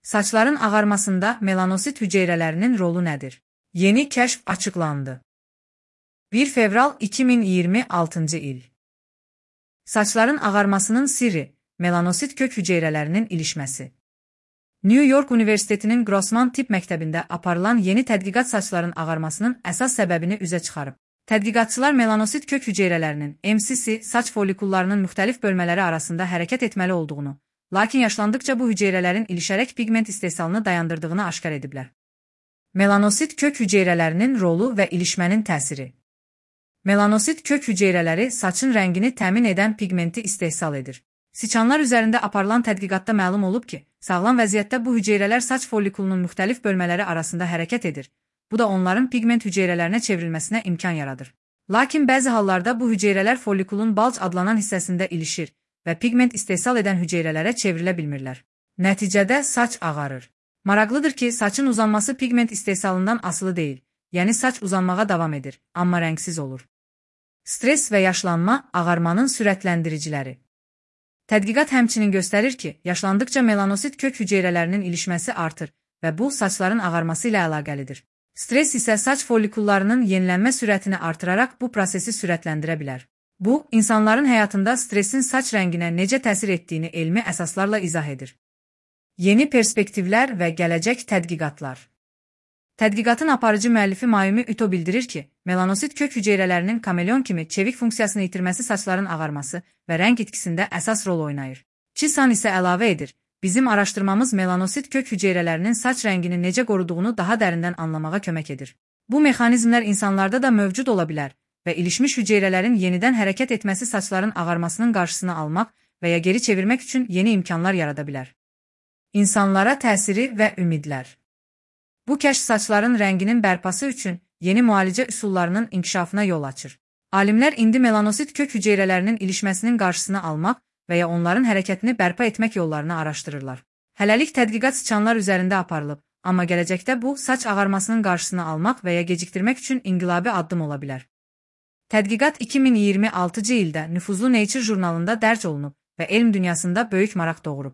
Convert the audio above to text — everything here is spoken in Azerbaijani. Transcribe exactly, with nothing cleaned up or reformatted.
Saçların ağarmasında melanosit hüceyrələrinin rolu nədir? Yeni kəşf açıqlandı. bir fevral iki min iyirmi altıncı il. Saçların ağarmasının sirri, melanosit kök hüceyrələrinin ilişməsi. New York Universitetinin Grossman Tibb Məktəbində aparılan yeni tədqiqat saçların ağarmasının əsas səbəbini üzə çıxarıb. Tədqiqatçılar melanosit kök hüceyrələrinin M C C saç folikullarının müxtəlif bölmələri arasında hərəkət etməli olduğunu, lakin yaşlandıqca bu hüceyrələrin ilişərək pigment istehsalını dayandırdığını aşkar ediblər. Melanosit kök hüceyrələrinin rolu və ilişmənin təsiri. Melanosit kök hüceyrələri saçın rəngini təmin edən pigmenti istehsal edir. Siçanlar üzərində aparılan tədqiqatda məlum olub ki, sağlam vəziyyətdə bu hüceyrələr saç folikulunun müxtəlif bölmələri arasında hərəkət edir. Bu da onların pigment hüceyrələrinə çevrilməsinə imkan yaradır. Lakin bəzi hallarda bu hüceyrələr folikulun balc adlanan hissəsində ilişir və pigment istehsal edən hüceyrələrə çevrilə bilmirlər. Nəticədə saç ağarır. Maraqlıdır ki, saçın uzanması pigment istehsalından asılı deyil, yəni saç uzanmağa davam edir, amma rəngsiz olur. Stres və yaşlanma ağarmanın sürətləndiriciləri. Tədqiqat həmçinin göstərir ki, yaşlandıqca melanosit kök hüceyrələrinin ilişməsi artır və bu saçların ağarması ilə əlaqəlidir. Stres isə saç folikullarının yenilənmə sürətini artıraraq bu prosesi sürətləndirə bilər. Bu, insanların həyatında stresin saç rənginə necə təsir etdiyini elmi əsaslarla izah edir. Yeni perspektivlər və gələcək tədqiqatlar. Tədqiqatın aparıcı müəllifi Mayumi Ito bildirir ki, melanosit kök hüceyrələrinin kameleon kimi çevik funksiyasını itirməsi saçların ağarması və rəng itkisində əsas rol oynayır. Chisan isə əlavə edir, bizim araşdırmamız melanosit kök hüceyrələrinin saç rəngini necə qoruduğunu daha dərindən anlamağa kömək edir. Bu mexanizmlər insanlarda da mövcud ola bilər və ilişmiş hüceyrələrin yenidən hərəkət etməsi saçların ağarmasının qarşısını almaq və ya geri çevirmək üçün yeni imkanlar yarada bilər. İnsanlara təsiri və ümidlər. Bu kəşf saçların rənginin bərpası üçün yeni müalicə üsullarının inkişafına yol açır. Alimlər indi melanosit kök hüceyrələrinin ilişməsinin qarşısını almaq və ya onların hərəkətini bərpa etmək yollarını araşdırırlar. Hələlik tədqiqat siçanlar üzərində aparılıb, amma gələcəkdə bu, saç ağarmasının qarşısını almaq və ya gecikdirmək üçün inqilabi addım ola bilər. Tədqiqat iki min iyirmi altıncı ildə nüfuzlu Nature jurnalında dərc olunub və elm dünyasında böyük maraq doğurub.